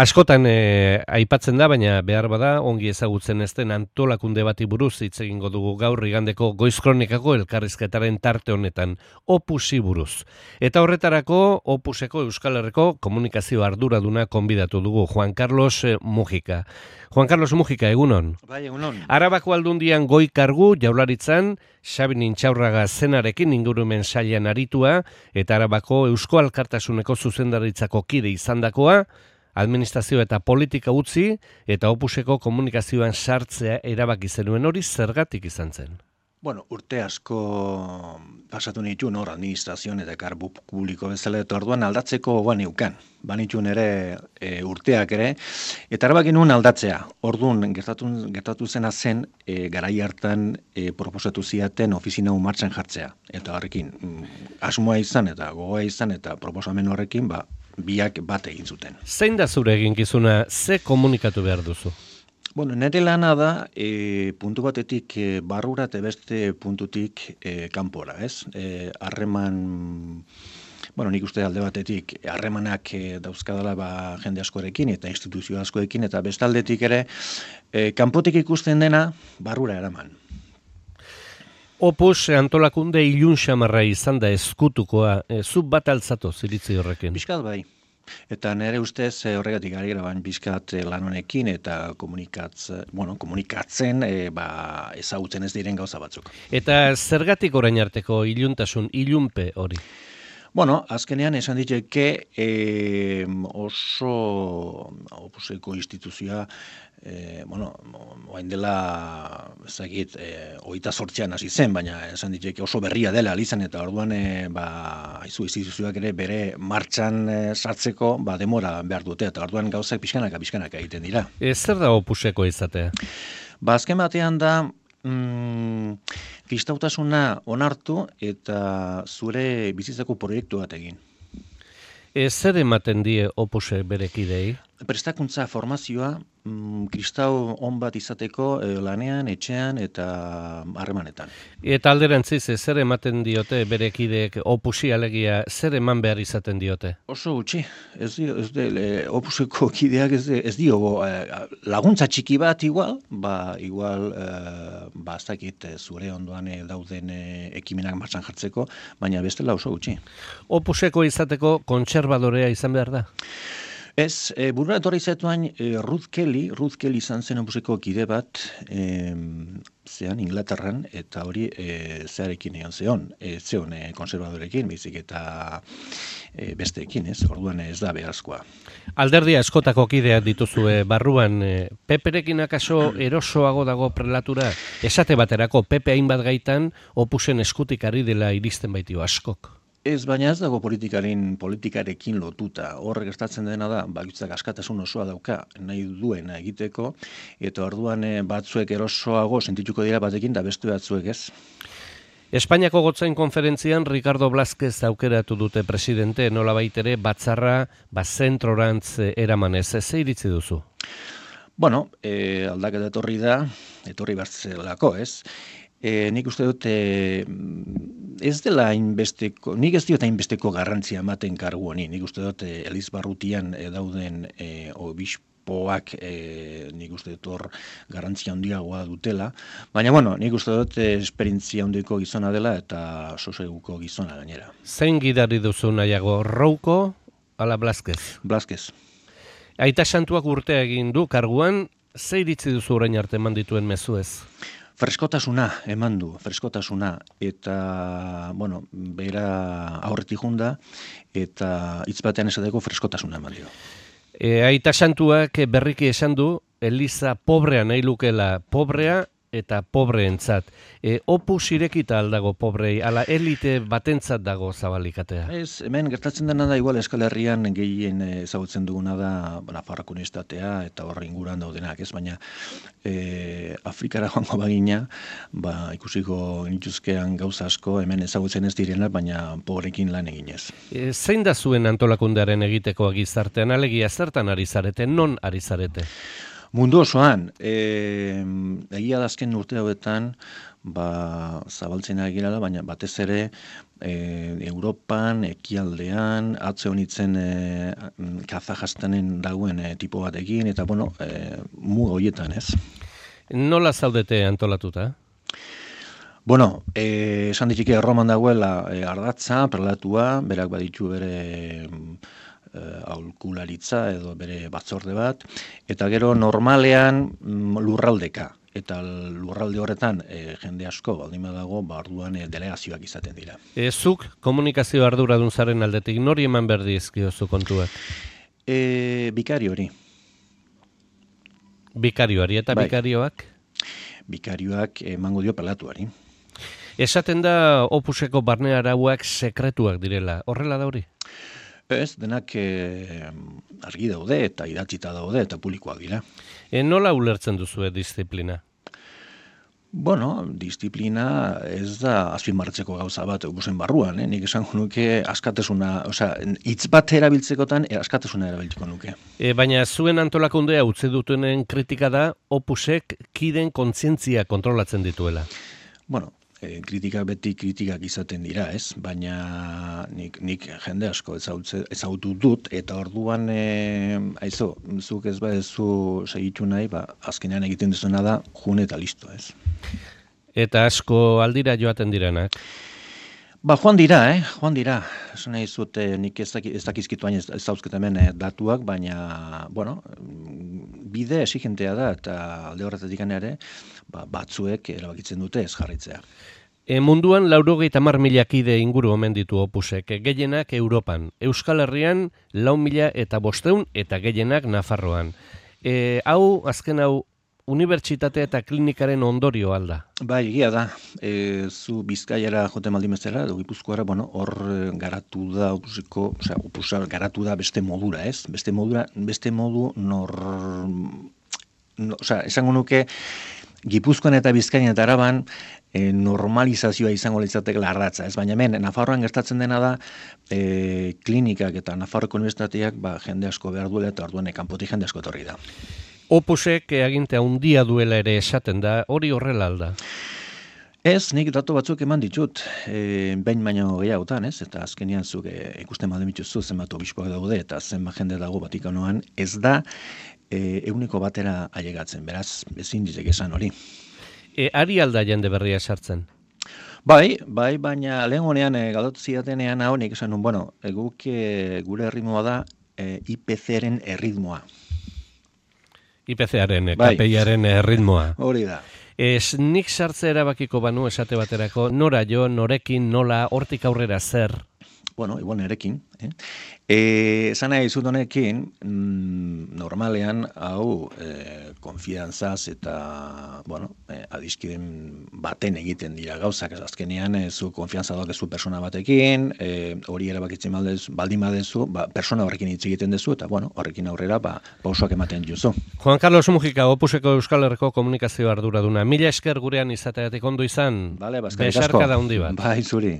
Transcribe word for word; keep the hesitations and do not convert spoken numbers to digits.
Askotan e, aipatzen da, baina behar bada ongi ezagutzen ez den antolakunde bati buruz hitz egingo dugu gaur igandeko Goiz Kronikako elkarrizketaren tarte honetan, Opusi buruz. Eta horretarako Opuseko Euskal Herriko komunikazio arduraduna konbidatu dugu, Juan Carlos Mujika. Juan Carlos Mujika, egunon. Bai, egunon. Arabako Aldundian goi kargu Jaurlaritzan, Xabi Nintxaurraga zenarekin ingurumen sailean aritua, eta Arabako Eusko Alkartasuneko zuzendaritzako kide izandakoa, administrazio eta politika utzi eta Opuseko komunikazioan sartzea erabaki zenuen, hori zergatik izan zen? Bueno, urte asko pasatu nituen hor administrazioan eta kargu publiko bezala, eta orduan aldatzeko baneukan. Banituen ere e, urteak ere, eta erabaki nuen aldatzea. Orduan gertatu, gertatu zena zen e, garai hartan e, proposatu ziaten ofizina martxan jartzea. Eta horrekin asmoa izan eta gogoa izan eta proposamen horrekin ba, biak bat egin zuten. Zein da zure eginkizuna, ze komunikatu behar duzu? Bueno, nire lana da, e, puntu batetik e, barrura eta beste puntutik e, kanpora, ez? Harreman, e, bueno, nik uste alde batetik, harremanak e, dauzkadala ba, jende askorekin eta instituzio askoekin, eta beste aldetik ere, e, kanpotik ikusten dena, barrura eraman. Opus antolakunde ilun xamarra izan da eskutukoa, e, zu bat altzatu ziritzi horrekin? Bizkat bai. Eta nire ustez horregatik ari gara bain bizkat lan honekin eta komunikatzen, bueno, komunikatzen e, ba, ezagutzen ez diren gauza batzuk. Eta zergatik orain arteko iluntasun, ilunpe hori? Bueno, azkenean esan diteke e, oso Opuseko instituzioa, e, bueno, oain dela, ezagit, e, hogeita zortzian hasi zen, baina esan diteke oso berria dela alizan, eta orduan e, ba, haizu instituzioak ere bere martxan e, sartzeko ba, demora behar dute, eta orduan gauzak pixkanaka, pixkanaka egiten dira. E, zer da Opuseko izatea? Ba, azken batean da, Mm, kristautasuna onartu eta zure bizitzako proiektu bat egin. E, zer ematen die Opuse berekidei? Prestakuntza formazioa mm, kristau on bat izateko e, lanean, etxean eta harremanetan. Eta alderantziz, zer ematen diote berekideek Opusi alegia, zer eman behar izaten diote? Oso gutxi, ez dio, ez de, e, Opuseko kideak ez, de, ez dio e, laguntza txiki bat igual, ba igual e, ba ez dakit zure ondoan e, dauden e, ekimenak martxan jartzeko, baina bestela oso gutxi. Opuseko izateko kontserbadorea izan behar da? Ez, e, burura etorri zatuan e, Ruth Kelly, Ruth Kelly izan zen Opuseko kide bat, e, zean Inglaterran, eta hori e, zearekin egon zeon, e, zeon e, konservadorekin, baizik eta e, besteekin, ez, orduan ez da beharazkoa. Alderdia eskotako kideak dituzue barruan, e, Peperekin akaso erosoago dago prelatura, esate baterako Pepe hainbat gaitan Opusen eskutik ari dela iristen baitio askok. Ez, baina ez dago politikaren politikarekin lotuta. Horrek gertatzen dena da, bakoitzak askatasun osoa dauka nahi duena egiteko, eta orduan batzuek erosoago sentituko dira batekin da beste batzuek ez. Espainiako gotzain konferentzian Ricardo Blázquez aukeratu dute presidente, nolabait ere batzarra bazentrorantz eramanez. Ze iritzi duzu? Bueno, e, aldaketa etorri da, etorri bertzelako, ez? E, nik uste dut e, ez dela hainbesteko, nik ez diot hainbesteko garrantzia ematen kargu honi, nik uste dut e, Elizbarrutian e, dauden e, obispoak e, nik uste dut hor garrantzia handiagoa dutela, baina bueno, nik uste dut e, esperientzia handiko gizona dela eta soseguko gizona gainera. Zein gidari duzu nahiago, Rouko ala Blázquez? Blázquez. Aita Santuak urtea egin du karguan, ze iritzi duzu orain arte eman dituen mezuez? Freskotasuna eman du, freskotasuna, eta, bueno, bera aurretik junda, eta hitz batean esateko freskotasuna eman dio. E, Aita Santuak berriki esan du, Eliza pobrea nahi lukela, pobrea eta pobreentzat. E, Opus irekita aldago pobrei, ala elite batentzat dago zabalikatea? Ez, hemen gertatzen dena da, igual Euskal Herrian gehien ezagutzen duguna da Nafarroako Unibertsitatea eta horre inguruan daudenak, ez, baina e, Afrikara joango bagina, ba, ikusiko nituzkean gauza asko hemen ezagutzen ez direnak, baina pobrekin lan eginez. E, zein da zuen antolakundearen egitekoa gizartean, alegia zertan ari zarete, non ari zarete? Mundu osoan, e, egia da azken urte hauetan, ba, zabaltzen ari girela, baina batez ere e, Europan, ekialdean, atze honitzen e, Kazajstanen dagoen e, tipo batekin, eta bueno, e, mu horietan, ez? Nola zaudete antolatuta? Bueno, eh, esan ditike Erroman dagoela e, ardatza, perlatua, berak baditu bere eh, aholkularitza edo bere batzorde bat, eta gero normalean mm, lurraldeka. Eta lurralde horretan e, jende asko baldin badago, ba orduan e, delegazioak izaten dira. E, zuk komunikazio arduradun zaren aldetik nori eman berdizkiozu kontuak? E, bikari hori. Bikarioari eta Bai. bikarioak? Bikarioak emango dio pelatuari. Esaten da Opuseko barne arauak sekretuak direla. Horrela da hori? Ez, denak e, argi daude eta idatzita daude eta publikoak dira. E, nola ulertzen duzue disiplina? Bueno, disiplina ez da azpimarratzeko gauza bat Opusen barruan, eh? Nik esango nuke askatasuna, osea, hitz bat erabiltzekotan e, askatasuna erabiltzeko nuke. E, baina zuen antolakundea utzi dutenen kritika da Opusek kiden kontzientzia kontrolatzen dituela. Bueno, e, kritika beti kritikak izaten dira, ez? Baina nik, nik jende asko ezautze, ezautu dut, eta orduan, e, aizo, zuk ez badezu segitu nahi, ba, azkenean egiten duzuna da, jun eta listo, ez? Eta asko aldira joaten direnak. Ba, joan dira, eh? Joan dira. Esan nahi zut, eh, nik ez, daki, ez dakizkitu hain ez, ez dauzket hemen eh, datuak, baina, bueno, bide exigentea da, eta alde horretatik ere, ba, batzuek erabakitzen dute ez jarraitzea. E, munduan laurogeita hamar mila kide inguru omen ditu Opusek, gehienak Europan, Euskal Herrian lau mila eta bosteun eta gehienak Nafarroan. E, hau, azken hau, unibertsitatea eta klinikaren ondorio alda. Bai, egia da. E, zu Bizkaiara jote maldimezera, edo Gipuzkoara, bueno, hor garatu da, opusiko, osea, opusa garatu da beste modura, ez? Beste modura, beste modu nor... No, osea, esango nuke, Gipuzkoan eta Bizkaian eta Araban e, normalizazioa izango litzateke ardatza, ez? Baina hemen, Nafarroan gertatzen dena da, e, klinikak eta Nafarroko unibertsitateak ba, jende asko behar duela eta orduan kanpotik jende asko etorri da. Opusek agintea handia duela ere esaten da, hori horrela alda. Ez, nik datu batzuk eman ditut, e, behin baino gehiagotan, ez? Eta azkenian zuk e, ikusten baldin dituzu zenbat obispoak daude eta zenbat jende dago Vatikanoan, ez da e, euneko batera ailegatzen, beraz, ezin ditek esan hori. E, ari alda jende berria sartzen? Bai, bai, baina lehen honean e, galdotu zidatenean hau nik esan nun, bueno, e, guk e, gure erritmoa da e, I P C-ren erritmoa. I P C-aren, Bai. K P I-aren erritmoa. Hori da. Ez nik sartze erabakiko banu esate baterako, nora jo, norekin, nola, hortik aurrera zer? Bueno, igual nerekin. Eh? E, esan nahi zut honekin, mm, normalean, hau, e, konfiantzaz eta, bueno, e, adiskiden baten egiten dira gauzak, ez azkenean, e, zu konfiantza daukezu persona batekin, e, hori erabakitzen baldez, baldin badezu, ba, persona horrekin hitz egiten dezu, eta, bueno, horrekin aurrera, ba, pausoak ematen juzu. Juan Carlos Mujika, Opuseko Euskal Herriko komunikazio arduraduna. Mila esker gurean izateatik ondo izan, Vale, ba, eskerrik asko. besarka da hundi bat. Bai, zuri.